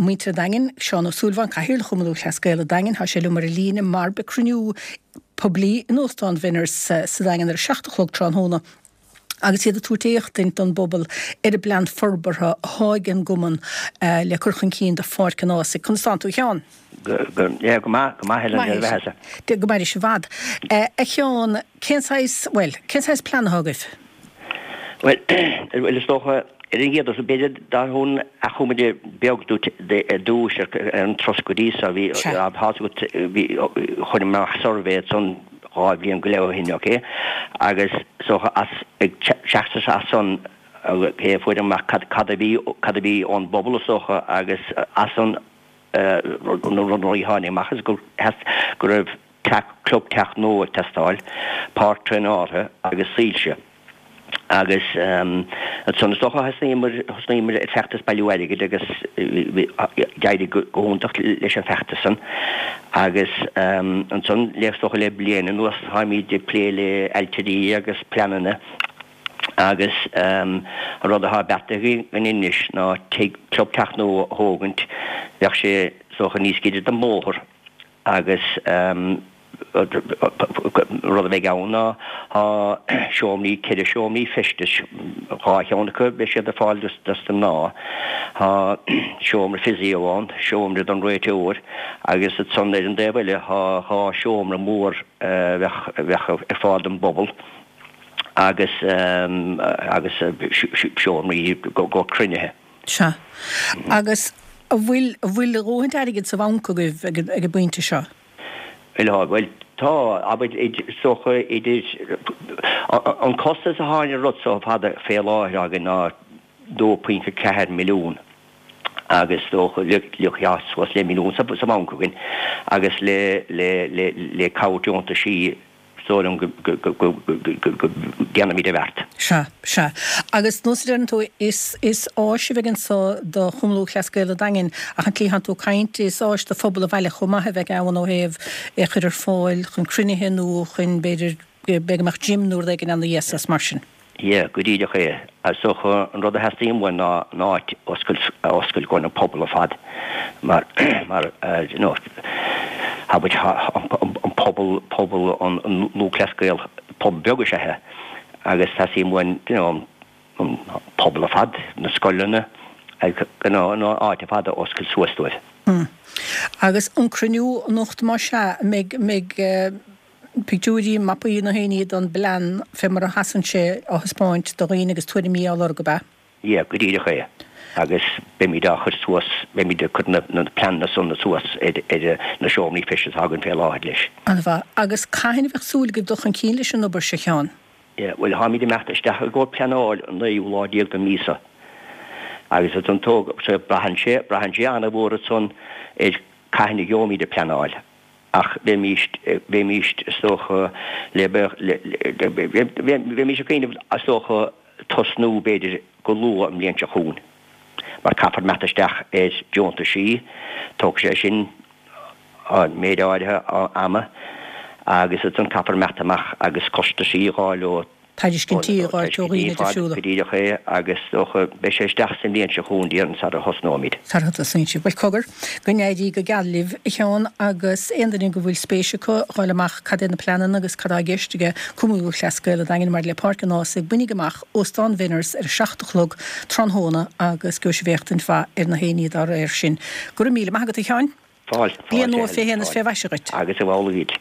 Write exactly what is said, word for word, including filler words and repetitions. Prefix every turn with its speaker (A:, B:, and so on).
A: muintir an Daingin, Seán Ó Súilleabháin, Cathaoirleach Chumann Lúthchleas Gael an Daingin, tá sé liom ar an líne mar beidh cruinniú poiblí in Óstán Bhenner's sa Daingean ar a seacht a chlog tráthnóna agus iad ag tabhairt éachtaint don bpobal ar an bplean forbartha atá ag an gcumann le cur chun cinn do Pháirc an Ághasaigh. Conas tánn tú, a Sheáin?
B: Go go maith, go maith Helen, ar bheatha.
A: Go mairis i bhfad. A Sheáin, cén saghas, bhuel, cén saghas plean atá agaibh?
B: Bhuel, bhuel is dócha, ar an gcéad dul síos, b'fhéidir dá thabharfainn achoimre beag duit ar dtús ar an turas go dtí so, bhí, tá fhios agat, bhí, chuir mé amach suirbhé ansan dhá bhliain go leith ó shin, ok, agus is dócha as, ag teacht as san, ok, fuair amach cad, cad a bhí, cad a bhí ón bpobal is dócha agus as san, na rudaí a tháinig amach is go, go raibh teach, club teach nua ag teastáil, páirc traenáilte agus soilse. Agus ansan is dócha thosnaíomar, thosnaíomar ar feachtas bailiú airgid agus d'éirigh go hiontach leis an feachtas san. Agus ansan le, is dócha le bliain anuas táimid ag plé le ailtirí agus pleananna agus an rud atá beartaithe againn anois ná tigh, club teach nua a thógaint, bheadh sé is dócha níos giorra don bhóthar agus. Rud a bheidh ann ná tá seomraí, ceithre seomraí feistis, dhá cheann acu beidh siad ar fáil dos na mná, tá seomra physio ann, seomra don réiteoir agus ansan ar an dtaobh eile tá dhá seomra mór a bheadh ar fáil don bpobal agus agus seomraí go cruinnithe.
A: Sea. Agus an bhfuil, an bhfuil a dhóthaint airgid sa bhanc agaibh ag an bpointe seo?
B: Bhuel, bhuel, tá, abair, is dócha idir, an costas atá ar an rud so fada fé láthair againn ná dó pointe ceathair milliún agus is dócha le, le, suas le milliún sa bhanc againn agus le, le, le, le cabhair deontaisí Is dóigh liom go ndéanfaimid an bheart.
A: Sea, sea. Agus nós a deireann tú, is, is áis a bheidh anso do Chumann Lúthchleas Gael an Daingin, ach an tslí atánn tú ag caint, is áis do phobal an bhaile chomh maith a bheidh ann ó thaobh é a chur ar fáil chun cruinnithe nó chun, b'fhéidir, b'fhéidir go mbeadh gym nó rud éigin ann a dheas mar sin.
B: Yeah, go díreach é. Is dócha an rud a theastaíonn uainn ná an áit a oscailt don pobal ar fad mar, mar, you know, abair an pobal, pobal an Lúthchleas Gael, pobal beag is ea é agus teastaíonn uainn, you know, an pobal ar fad, na scoileanna, you know, an áit ar fad a oscailt suas dóibh.
A: Mm. Agus an cruinniú anocht más ea, an mbeidh, mbeidh, pictiúirí, mapaí na haon ní don bplean fé mar a sheasann sé á thaispeáint do dhaoine agus tuairimí á lorg, ab ea?
B: Yeah, go díreach é. Agus beimid á chur suas, beimid ag cur na pleananna san suas ar na seomraí feistis atá againn fé láthair leis.
A: An-mhaith. Agus cathain a bheadh súil agaibh dul chun cinn leis an obair seo, a Sheáin?
B: Yeah, bhuel, táimid ag imeacht isteach i gcomhair pleanáil an naoú lá déag den mhí seo. Agus ansan tóg, braitheann sé, braitheann sé an-mhór ansan ar cathain a gheobhaimid an pleanáil. Ach bheimís, bheimís, is dócha, le, bheimís ag cuimhneamh, is dócha, tosnú, b'fhéidir, go luath an bhliain seo chugainn, mar caithfear imeacht isteach ar deontaisí, tógfaidh sé sin méid áirithe ama, agus ansan caithfear imeacht amach agus costaisí a dh'fháil ó.
A: Tairiscintí a dh'fháilt ó dhaoine difriúla.
B: Go díreach é, agus is dócha, beidh sé isteach sa mbliain seo chugainn, déarfainn, sara thosnóimid.
A: Sara thosnaíonn sibh. Bhuel, cogar, go n-éirí go geal libh, a Sheáin, agus aon duine go bhfuil spéis acu dh'fháil amach cad é na pleananna agus cad tá i gceist ag Cumann Lúthchleas Gael an Daingin maidir le Páirc an Ághasaigh, bainigí amach Óstán Bhenners ar a seacht a chlog tráthnóna agus gheobhaidh sibh éachtaint mhaith ar na haon ní dá réir sin. Go raibh míle maith agat, a Sheáin.
B: Fáilte,
A: Bliain nua fé shéan is fé mhaise dhuit.
B: Agus amhlaidh duit.